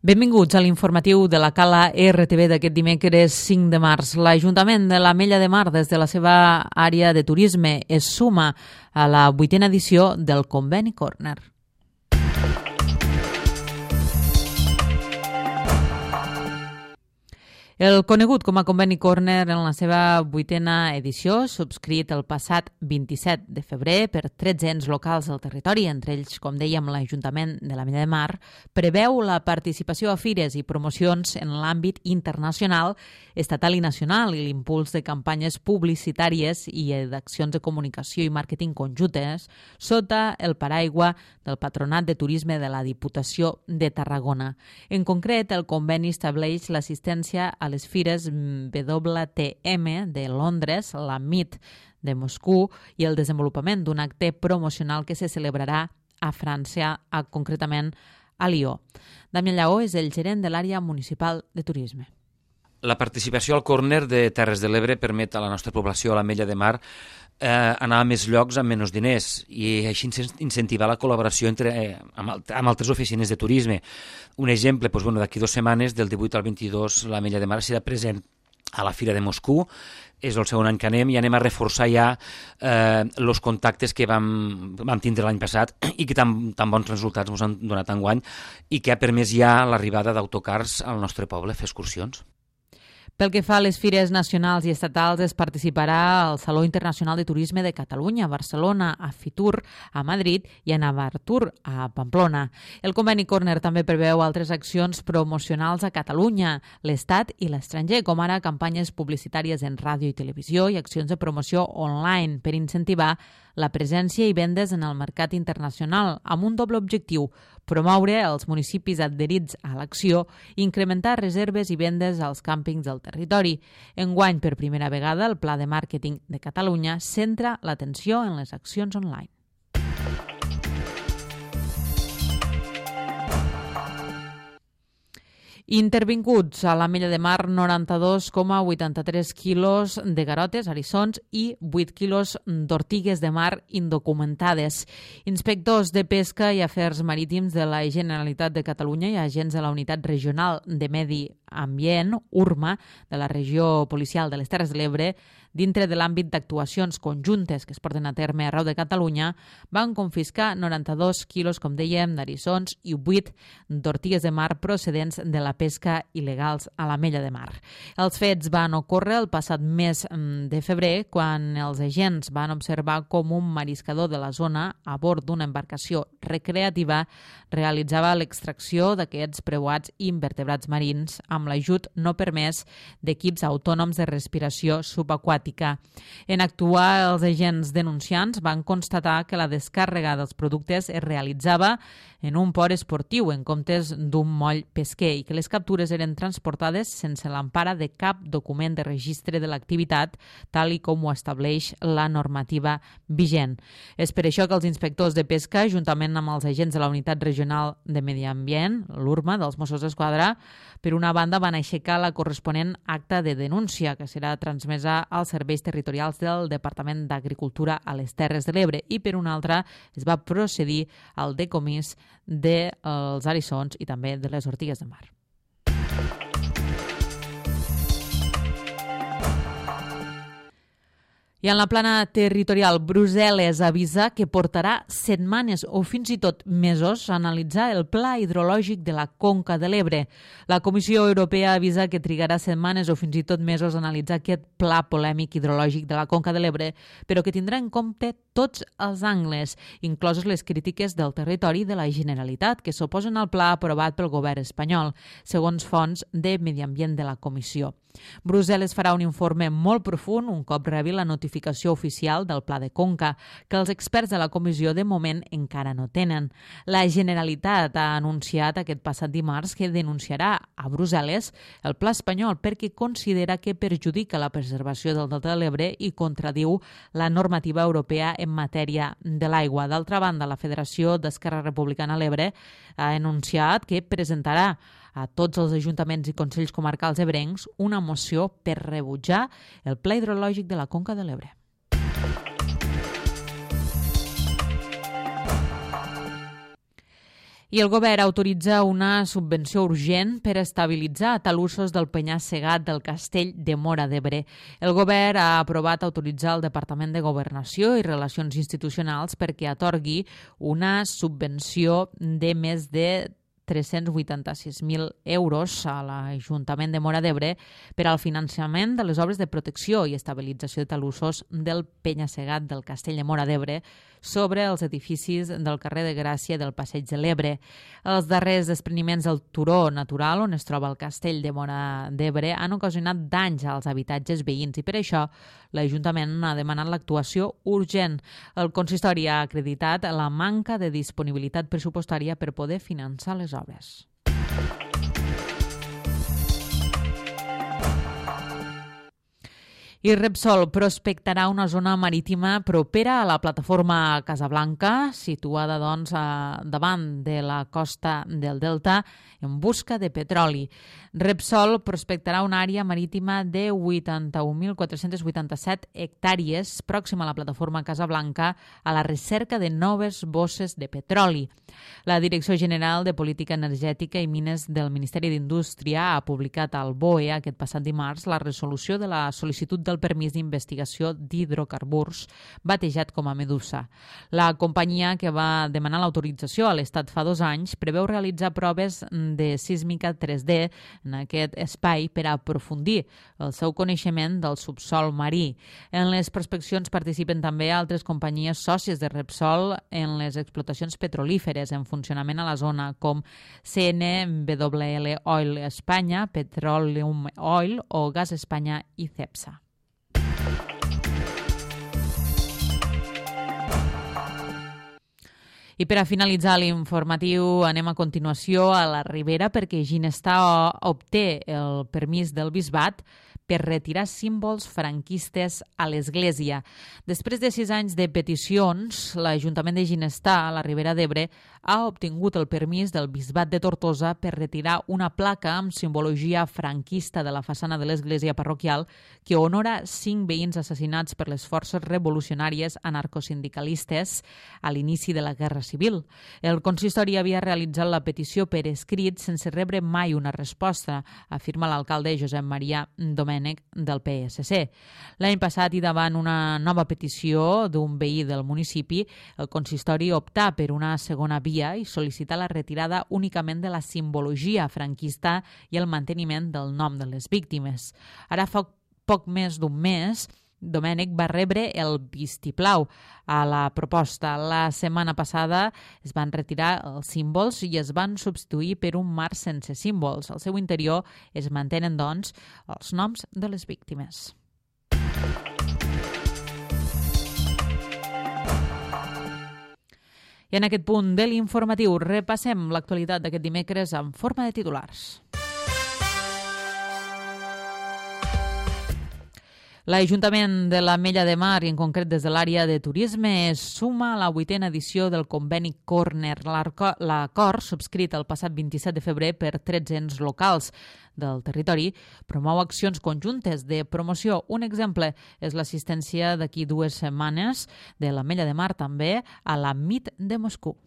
Benvinguts a l'informatiu de la Cala RTV d'aquest dimecres 5 de març. L'Ajuntament de l'Ametlla de Mar, des de la seva àrea de turisme, es suma a la 8a edició del Conveni Corner. El conegut com a Conveni Corner en la seva 8a edició, subscrit el passat 27 de febrer per 13 ens locals del territori, entre ells, com dèiem, l'Ajuntament de l'Ametlla de Mar, preveu la participació a fires i promocions en l'àmbit internacional, estatal i nacional i l'impuls de campanyes publicitàries i d'accions de comunicació i màrqueting conjuntes sota el paraigua del Patronat de Turisme de la Diputació de Tarragona. En concret, el conveni estableix l'assistència a les fires WTM de Londres, la MIT de Moscou i el desenvolupament d'un acte promocional que se celebrarà a França, concretament a Lió. Damià Lleó és el gerent de l'àrea municipal de turisme. La participació al Corner de Terres de l'Ebre permet a la nostra població, a l'Ametlla de Mar, anar a més llocs amb menys diners i així incentivar la col·laboració amb altres oficines de turisme. Un exemple, d'aquí 2 setmanes, del 18 al 22, l'Ametlla de Mar serà present a la Fira de Moscou. És el segon any que anem i anem a reforçar ja els contactes que vam tindre l'any passat i que tan bons resultats ens han donat enguany i que ha permès ja l'arribada d'autocars al nostre poble a fer excursions. Pel que fa a les fires nacionals i estatals, es participarà al Saló Internacional de Turisme de Catalunya, a Barcelona, a Fitur, a Madrid i a Navartur, a Pamplona. El Conveni Corner també preveu altres accions promocionals a Catalunya, l'Estat i l'estranger, com ara campanyes publicitàries en ràdio i televisió i accions de promoció online per incentivar la presència i vendes en el mercat internacional, amb un doble objectiu: promoure els municipis adherits a l'acció i incrementar reserves i vendes als càmpings del territori. Enguany, per primera vegada, el Pla de Màrqueting de Catalunya centra l'atenció en les accions online. Intervinguts a l'Ametlla de Mar 92,83 quilos de garotes, eriçons i 8 quilos d'ortigues de mar indocumentades. Inspectors de Pesca i Afers Marítims de la Generalitat de Catalunya i agents de la Unitat Regional de Medi Ambient, URMA, de la Regió Policial de les Terres de l'Ebre, dintre de l'àmbit d'actuacions conjuntes que es porten a terme arreu de Catalunya, van confiscar 92 quilos, com dèiem, d'eriçons i 8 d'ortigues de mar procedents de la pesca il·legals a l'Ametlla de Mar. Els fets van ocórrer el passat mes de febrer, quan els agents van observar com un mariscador de la zona, a bord d'una embarcació recreativa, realitzava l'extracció d'aquests preuats invertebrats marins amb l'ajut no permès d'equips autònoms de respiració subaquàtica. En actuar, els agents denunciants van constatar que la descàrrega dels productes es realitzava en un port esportiu en comptes d'un moll pesquer i que les captures eren transportades sense l'empara de cap document de registre de l'activitat, tal i com ho estableix la normativa vigent. És per això que els inspectors de pesca, juntament amb els agents de la Unitat Regional de Medi Ambient, l'URMA, dels Mossos d'Esquadra, per una banda van aixecar la corresponent acta de denúncia, que serà transmesa als serveis territorials del Departament d'Agricultura a les Terres de l'Ebre, i per una altra es va procedir al decomís dels eriçons i també de les ortigues de mar. I en la plana territorial, Brussel·les avisa que portarà setmanes o fins i tot mesos a analitzar el pla hidrològic de la Conca de l'Ebre. La Comissió Europea avisa que trigarà setmanes o fins i tot mesos a analitzar aquest pla polèmic hidrològic de la Conca de l'Ebre, però que tindrà en compte tots els angles, incloses les crítiques del territori de la Generalitat, que s'oposen al pla aprovat pel govern espanyol, segons fonts de Medi Ambient de la Comissió. Brussel·les farà un informe molt profund un cop rebi la notificació oficial del Pla de Conca, que els experts de la comissió de moment encara no tenen. La Generalitat ha anunciat aquest passat dimarts que denunciarà a Brussel·les el pla espanyol perquè considera que perjudica la preservació del Delta de l'Ebre i contradiu la normativa europea en matèria de l'aigua. D'altra banda, la Federació d'Esquerra Republicana a l'Ebre ha anunciat que presentarà a tots els ajuntaments i consells comarcals ebrencs una moció per rebutjar el pla hidrològic de la Conca de l'Ebre. I el govern autoritza una subvenció urgent per estabilitzar talussos del penya-segat del Castell de Móra d'Ebre. El govern ha aprovat autoritzar el Departament de Governació i Relacions Institucionals perquè atorgui una subvenció de més de 386.000 euros a l'Ajuntament de Móra d'Ebre per al finançament de les obres de protecció i estabilització de talussos del penya-segat del Castell de Móra d'Ebre sobre els edificis del carrer de Gràcia i del Passeig de l'Ebre. Els darrers despreniments del turó natural on es troba el Castell de Móra d'Ebre han ocasionat danys als habitatges veïns i per això l'Ajuntament ha demanat l'actuació urgent. El consistori ha acreditat la manca de disponibilitat pressupostària per poder finançar les obres. I Repsol prospectarà una zona marítima propera a la plataforma Casablanca, situada davant de la costa del Delta, en busca de petroli. Repsol prospectarà una àrea marítima de 81.487 hectàrees pròxima a la plataforma Casablanca a la recerca de noves bosses de petroli. La Direcció General de Política Energètica i Mines del Ministeri d'Indústria ha publicat al BOE aquest passat dimarts la resolució de la sol·licitud del permís d'investigació d'hidrocarburs, batejat com a Medusa. La companyia que va demanar l'autorització a l'Estat fa 2 anys preveu realitzar proves de sísmica 3D en aquest espai per a aprofundir el seu coneixement del subsol marí. En les prospeccions participen també altres companyies sòcies de Repsol en les explotacions petrolíferes en funcionament a la zona, com CNWL Oil Espanya, Petroleum Oil o Gas Espanya i Cepsa. I per a finalitzar l'informatiu anem a continuació a la Ribera perquè Ginestar obté el permís del bisbat per retirar símbols franquistes a l'Església. Després de 6 anys de peticions, l'Ajuntament de Ginestar, a la Ribera d'Ebre, ha obtingut el permís del Bisbat de Tortosa per retirar una placa amb simbologia franquista de la façana de l'església parroquial que honora 5 veïns assassinats per les forces revolucionàries anarcosindicalistes a l'inici de la Guerra Civil. El consistori havia realitzat la petició per escrit sense rebre mai una resposta, afirma l'alcalde Josep Maria Domènech del PSC. L'any passat i davant una nova petició d'un veí del municipi, el consistori optà per una segona via i sol·licitar la retirada únicament de la simbologia franquista i el manteniment del nom de les víctimes. Ara fa poc més d'un mes, Domènech va rebre el vistiplau a la proposta. La setmana passada es van retirar els símbols i es van substituir per un mar sense símbols. Al seu interior es mantenen, doncs, els noms de les víctimes. I en aquest punt de l'informatiu repassem l'actualitat d'aquest dimecres en forma de titulars. L'Ajuntament de l'Ametlla de Mar, i en concret des de l'àrea de turisme, es suma a la 8a edició del conveni Corner. L'acord, subscrit el passat 27 de febrer per 13 ens locals del territori, promou accions conjuntes de promoció. Un exemple és l'assistència d'aquí 2 setmanes de l'Ametlla de Mar també a la MIT de Moscou.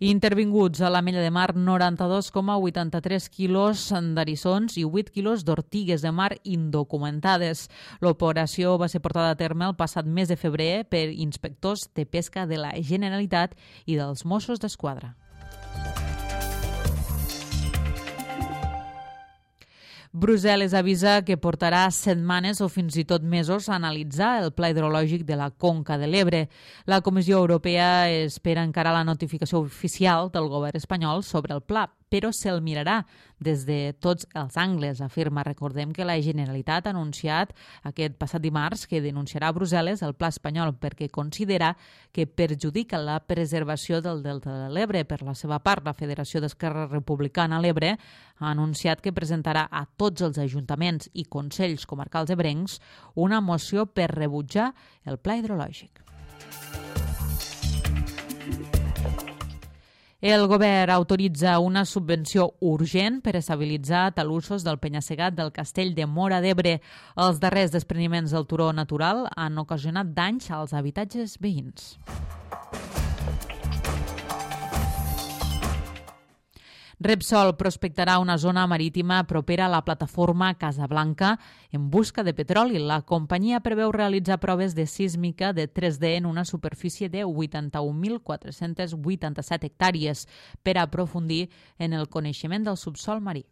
Intervinguts a l'Ametlla de Mar 92,83 quilos d'eriçons i 8 quilos d'ortigues de mar indocumentades. L'operació va ser portada a terme el passat mes de febrer per inspectors de pesca de la Generalitat i dels Mossos d'Esquadra. Brussel·les avisa que portarà setmanes o fins i tot mesos a analitzar el pla hidrològic de la Conca de l'Ebre. La Comissió Europea espera encara la notificació oficial del govern espanyol sobre el pla, però se'l mirarà des de tots els angles, afirma. Recordem que la Generalitat ha anunciat aquest passat dimarts que denunciarà a Brussel·les el pla espanyol perquè considera que perjudica la preservació del Delta de l'Ebre. Per la seva part, la Federació d'Esquerra Republicana a l'Ebre ha anunciat que presentarà a tots els ajuntaments i consells comarcals ebrencs una moció per rebutjar el pla hidrològic. El govern autoritza una subvenció urgent per estabilitzar talussos del penya-segat del castell de Móra d'Ebre. Els darrers despreniments del turó natural han ocasionat danys als habitatges veïns. Repsol prospectarà una zona marítima propera a la plataforma Casablanca en busca de petroli. La companyia preveu realitzar proves de sísmica de 3D en una superfície de 81.487 hectàrees per aprofundir en el coneixement del subsòl marí.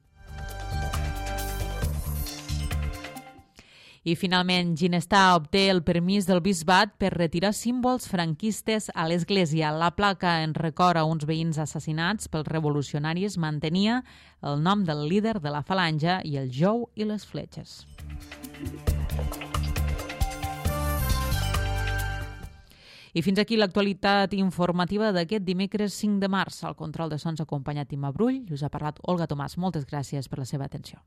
I finalment, Ginestar obté el permís del bisbat per retirar símbols franquistes a l'església. La placa en record a uns veïns assassinats pels revolucionaris mantenia el nom del líder de la falange i el jou i les fletxes. I fins aquí l'actualitat informativa d'aquest dimecres 5 de març. Al control de sons ha acompanyat Imma Brull i us ha parlat Olga Tomàs. Moltes gràcies per la seva atenció.